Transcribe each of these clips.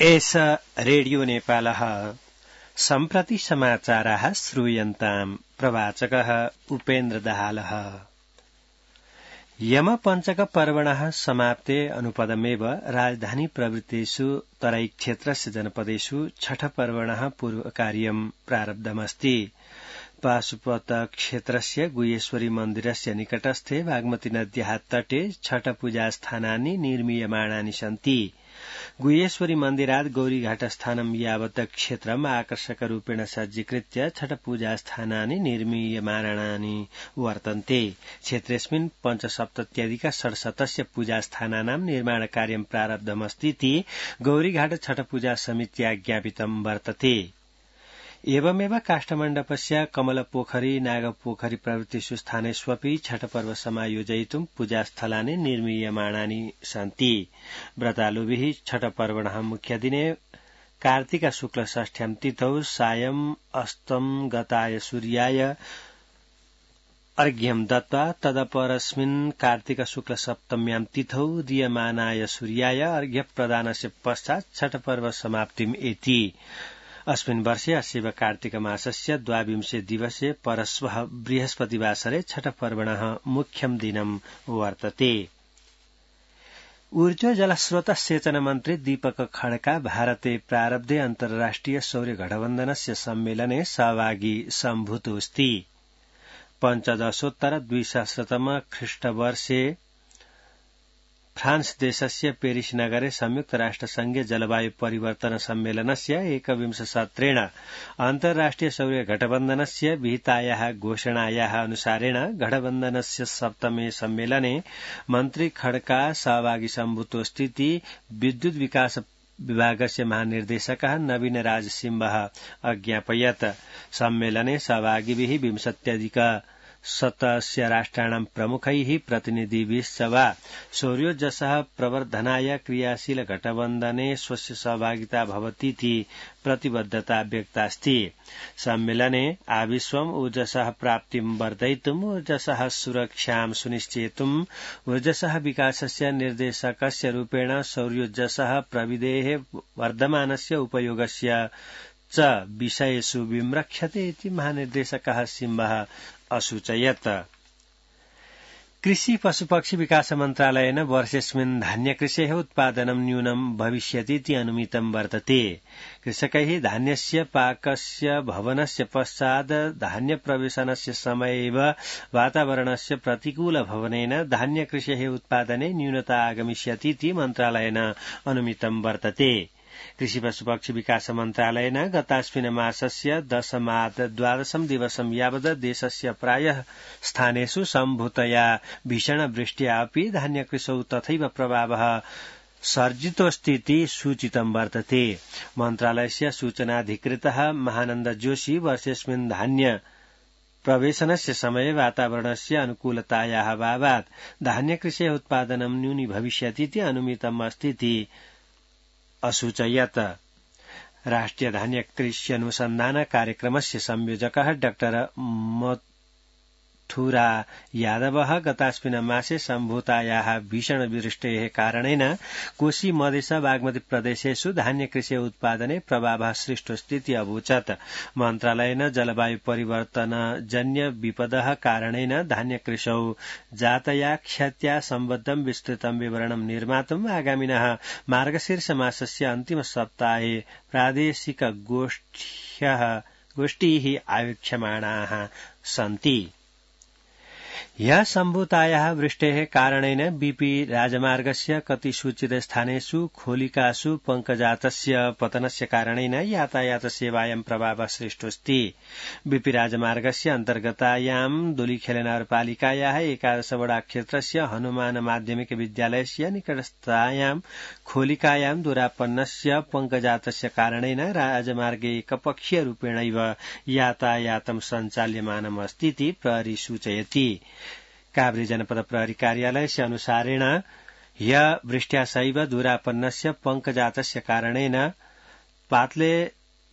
एष रेडियो नेपालः सम्प्रति समाचाराः श्रूयन्ताम् प्रवाचकः उपेन्द्र दाहालः। यमपञ्चक पर्वणः समाप्ते अनुपदमेव राजधानी प्रवृत्तेषु तराईक्षेत्रस्य जनपदेषु छठ पर्वणः पूर्वकार्यं प्रारब्धमस्ति। पाशुपत क्षेत्रस्य गुह्येश्वरी मन्दिरस्य निकटस्थे बागमती नद्याः तटे छठ पूजास्थानानि निर्मीयमाणानि सन्ति। गुह्येश्वरी मन्दिरात् गौरीघाटस्थानं यावत् क्षेत्रम् आकर्षकरूपेण सज्जीकृत्य छठ पूजास्थानानि निर्मीयमाणानि वर्तन्ते। क्षेत्रेऽस्मिन् 5,000,000 षड्शतस्य पूजास्थानानां निर्माणकार्यं प्रारब्धमस्तीति गौरीघाट छठ पूजा समित्या ज्ञापितं वर्तते। एवमेव काष्ठमण्डपस्य कमलपोखरी नागपोखरी प्रभृतिषु स्थानेष्वपि छठ पर्व समायोजयितुं पूजास्थलानि निर्मीयमाणानि सन्ति। व्रतालुभिः छठ पर्वणः मुख्यदिने कार्तिक शुक्ल षष्ठ्यां तिथौ सायं अस्तं गताय सूर्याय अर्घ्यं दत्त्वा तदपरस्मिन् कार्तिक शुक्ल सप्तम्यां तिथौ दीयमानाय सूर्याय अर्घ्य प्रदानस्य पश्चात् छठ पर्व समाप्तिम् एति। अस्मिन् वर्षे अस्यैव कार्तिक मासस्य 22 दिवसे परश्वः बृहस्पतिवासरे छठ पर्वणः मुख्यं दिनं वर्तते। ऊर्जा जलस्रोत सेचन मन्त्री दीपक खड्का भारते प्रारब्धे अन्तर्राष्ट्रिय सौर्य गठबन्धनस्य सम्मेलने सहभागी सम्भूतोऽस्ति। 15,200 ख्रीष्टवर्षे फ्रान्स देशस्य पेरिस नगरे संयुक्त राष्ट्रसंघीय जलवायु परिवर्तन सम्मेलनस्य 21 सत्रेण अन्तर्राष्ट्रिय सौर्य गठबन्धनस्य विहितायाः घोषणायाः अनुसारेण गठबन्धनस्य सप्तमे सम्मेलने मन्त्री खड्का सहभागी सम्भूतोऽस्तीति विद्युत विकास विभागस्य महानिर्देशकः नवीन राज सिंहः अज्ञापयत्। सम्मेलने सहभागिभिः 20 राष्ट्राणां प्रमुखैः प्रतिनिधिभिश्च वा सौर्योर्जसः प्रवर्धनाय क्रियाशील गठबन्धने स्वस्य सहभागिता भवतीति प्रतिबद्धता व्यक्तास्ति। सम्मेलने आविश्वम् ऊर्जसः प्राप्तिं वर्धयितुम् ऊर्जसः सुरक्षां सुनिश्चेतुम् ऊर्जसः विकासस्य निर्देशकस्य रूपेण सौर्योर्जसः प्रविधेः वर्धमानस्य उपयोगस्य च विषयेषु विम्रक्ष्यते इति महानिर्देशकः सिंहः असूचयत्। कृषि पशुपक्षी विकास मन्त्रालयेन वर्षेऽस्मिन् धान्यकृषेः उत्पादनं न्यूनं भविष्यतीति अनुमितं वर्तते। कृषकैः धान्यस्य पाकस्य भवनस्य पश्चात् धान्यप्रवेशनस्य समये एव वातावरणस्य प्रतिकूल भवनेन धान्यकृषेः उत्पादने न्यूनता आगमिष्यतीति मन्त्रालयेन अनुमितं वर्तते। कृषि पशुपक्षी विकास मन्त्रालयेन गतास्मिन् मासस्य 10 दिवसं यावत् देशस्य प्रायः स्थानेषु सम्भूतया भीषणवृष्ट्या अपि धान्यकृषौ तथैव प्रभावः सर्जितोऽस्तीति सूचितं वर्तते। मन्त्रालयस्य सूचनाधिकृतः महानन्द जोशी वर्षेऽस्मिन् धान्य प्रवेशनस्य समये वातावरणस्य अनुकूलतायाः अभावात् धान्यकृषेः उत्पादनं न्यूनी भविष्यतीति अनुमितम् अस्तीति असूचयत्। राष्ट्रिय धान्य कृषि अनुसन्धान कार्यक्रमस्य संयोजकः डॉ मथुरा यादवः गतास्मिन् मासे सम्भूतायाः भीषणवृष्टेः कारणेन कोशी मधेश बागमती प्रदेशेषु धान्यकृषि उत्पादने प्रभावः सृष्टोऽस्तीति अवोचत्। मन्त्रालयेन जलवायु परिवर्तनजन्य विपदः कारणेन धान्यकृषौ जातया क्षत्या सम्बद्धं विस्तृतं विवरणं निर्मातुम् आगामिनः मार्गशीर्ष मासस्य अन्तिम सप्ताहे प्रादेशिक गोष्ठीः आयोक्ष्यमाणाः सन्ति। ह्यः सम्भूतायाः वृष्टेः कारणेन बीपी राजमार्गस्य कतिसूचित स्थानेषु खोलिकासु पङ्कजातस्य पतनस्य कारणेन यातायात सेवायां प्रभावः सृष्टोऽस्ति। बीपी राजमार्गस्य अन्तर्गतायां दोलीखेल नगरपालिकायाः 11 वडा क्षेत्रस्य हनुमान माध्यमिक विद्यालयस्य निकटस्थायां खोलिकायां दुरापन्नस्य पङ्कजातस्य कारणेन राजमार्गे एकपक्षीयरूपेणैव यातायातं सञ्चाल्यमानमस्तीति प्रहरी सूचयति। काभ्रे जनपद प्रहरी कार्यालयस्य अनुसारेण ह्यः वृष्ट्या सैव दुरापन्नस्य पङ्कजातस्य कारणेन पातले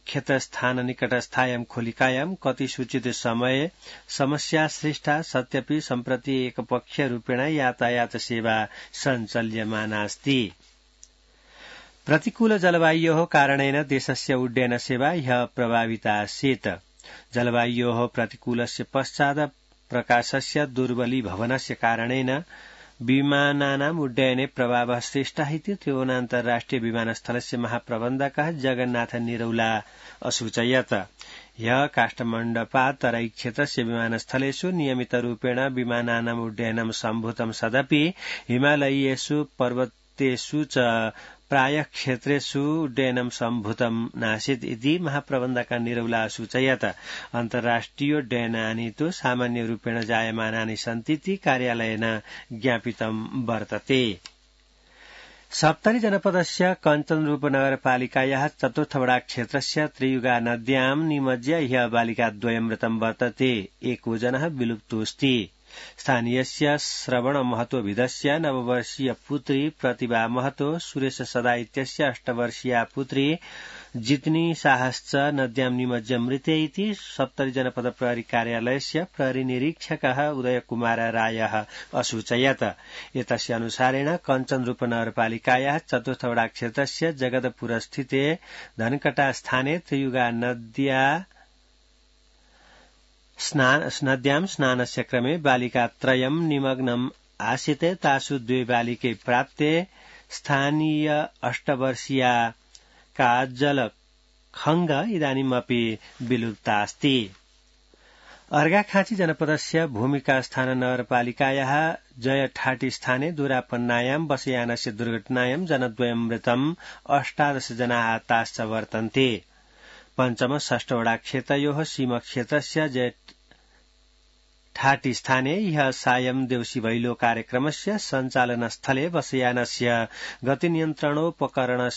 क्षेत्रस्थान निकटस्थायां खोलिकायां कतिसूचित समये समस्या सृष्टा सत्यपि सम्प्रति एकपक्षीयरूपेण यातायात सेवा सञ्चाल्यमानास्ति। प्रतिकूल जलवायोः कारणेन देशस्य उड्डयन सेवा ह्यः प्रभावितासीत्। जलवायोः प्रतिकूलस्य पश्चात् प्रकाशस्य दुर्बलीभवनस्य कारणेन विमानानाम् उड्डयने प्रभावः सृष्टः इति त्रिभुवनान्तर्राष्ट्रिय विमानस्थलस्य महाप्रबन्धकः जगन्नाथ निरौला असूचयत्। ह्यः काष्ठमण्डपात् तराई क्षेत्रस्य विमानस्थलेषु नियमितरूपेण विमानानाम् उड्डयनं सम्भूतं सदपि हिमालयीयेषु पर्वतेषु च प्रायः क्षेत्रेषु उड्डयनं सम्भूतं नासीत् इति महाप्रबन्धकः निरौला सूचयत्। अन्तर्राष्ट्रियोड्डयनानि तु सामान्यरूपेण जायमानानि सन्ति इति कार्यालयेन ज्ञापितं वर्तते। सप्तरी जनपदस्य कञ्चनरूपनगरपालिकायाः चतुर्थवडा क्षेत्रस्य त्रियुगा नद्यां निमज्य ह्यः बालिकाद्वयं मृतं वर्तते। एको जनः विलुप्तोऽस्ति। स्थानीयस्य श्रवण महतोभिदस्य 9 वर्षीय पुत्री प्रतिभा महतो, सुरेश सदा इत्यस्य 8 वर्षीया पुत्री जितनी साहश्च नद्यां निमज्य मृते इति सप्तरी जनपद प्रहरी कार्यालयस्य प्रहरी निरीक्षकः उदयकुमार रायः असूचयत्। एतस्य अनुसारेण कञ्चनरूपनगरपालिकायाः चतुर्थवडा क्षेत्रस्य जगदपुरस्थिते धनकटा स्थाने त्रियुगा नद्यां स्नानस्य क्रमे बालिकात्रयं निमग्नम् आसीते। तासु 2 बालिके प्राप्ते। स्थानीय 8 वर्षीया काजल खंग इदानीमपि विलुप्तास्ति। अर्घाखाँची जनपदस्य भूमिकास्थान नगरपालिकायाः जयठाटी स्थाने दूरापन्नायां बसयानस्य दुर्घटनायां जनद्वयं मृतम् 18 जनाः आहताश्च वर्तन्ते। पञ्चम षष्ठवडा क्षेत्रयोः सीमक्षेत्रस्य जयठाटी स्थाने ह्यः सायं देउसी भैलो कार्यक्रमस्य सञ्चालनस्थले बसयानस्य गतिनियन्त्रणोपकरणे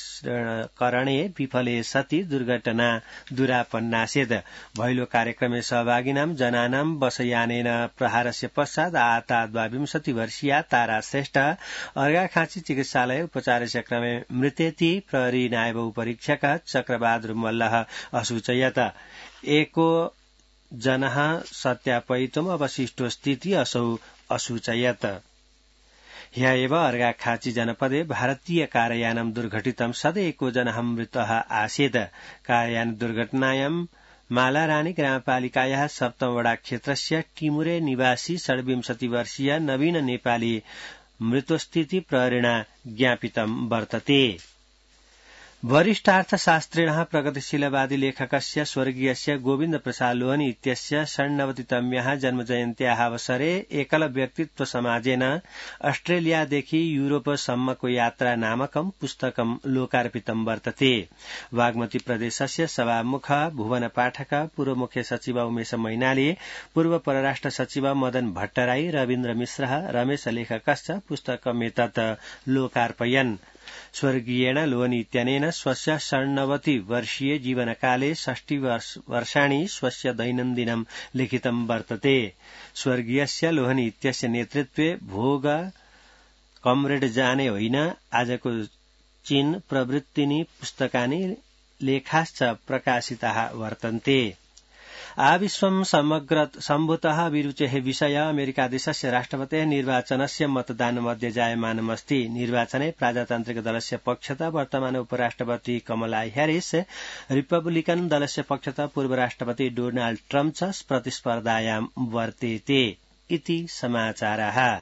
विफले सति दुर्घटना दूरापन्नासीत्। भैलो कार्यक्रमे सहभागिनां जनानां बसयानेन प्रहारस्य पश्चात् आहता 22 वर्षीया तारा श्रेष्ठ अर्घाखाँची चिकित्सालय उपचारस्य क्रमे मृतेति प्रहरी नायब उपरीक्षकः चक्रबहादुर मल्लः असूचयत्। एको जनः सत्यापयितुम् अवशिष्टोऽस्तीति असौ असूचयत्। ह्यः एव अर्घाखाँची जनपदे भारतीय कारयानं दुर्घटितं सद् एको जनः मृतः आसीत्। कारयान दुर्घटनायां मालारानी ग्रामपालिकायाः सप्तमवडा क्षेत्रस्य टिमुरे निवासी 26 वर्षीय नवीन नेपाली मृतोस्तीति प्रहरिणा ज्ञापितं वर्तते। वरिष्ठार्थशास्त्रिणः प्रगतिशीलवादी लेखकस्य स्वर्गीयस्य गोविन्द प्रसाद लोहनी इत्यस्य 96तम्याः जन्मजयन्त्याः अवसरे एकलव्यक्तित्व समाजेन अस्ट्रेलियादेखि यूरोपसम्मको यात्रा नामकं पुस्तकं लोकार्पितं वर्तते। बागमती प्रदेशस्य सभामुख भुवन पाठक, पूर्व मुख्य सचिव उमेश मैनाली, पूर्व परराष्ट्र सचिव मदन भट्टराई, रविन्द्र मिश्र, रमेश लेखकश्च पुस्तकमेतत् लोकार्पयन्। स्वर्गीयेण लोहनी इत्यनेन स्वस्य 96 वर्षीय जीवनकाले 60 वर्षाणि स्वस्य दैनन्दिनं लिखितं वर्तते। स्वर्गीयस्य लोहनी इत्यस्य नेतृत्वे भोग कमरेड जाने होइन आजको चीन प्रवृत्तिनि पुस्तकानि लेखाश्च प्रकाशिताः वर्तन्ते। आविश्वं समग्र सम्भूतः अभिरुचेः विषय अमेरिकादेशस्य राष्ट्रपतेः निर्वाचनस्य मतदानमध्ये जायमानमस्ति। निर्वाचने प्रजातान्त्रिक दलस्य पक्षतः वर्तमान उपराष्ट्रपति कमला ह्यारिस, रिपब्लिकन दलस्य पक्षतः पूर्व राष्ट्रपति डोनाल्ड ट्रम्प च प्रतिस्पर्धायां वर्तेते इति समाचारः।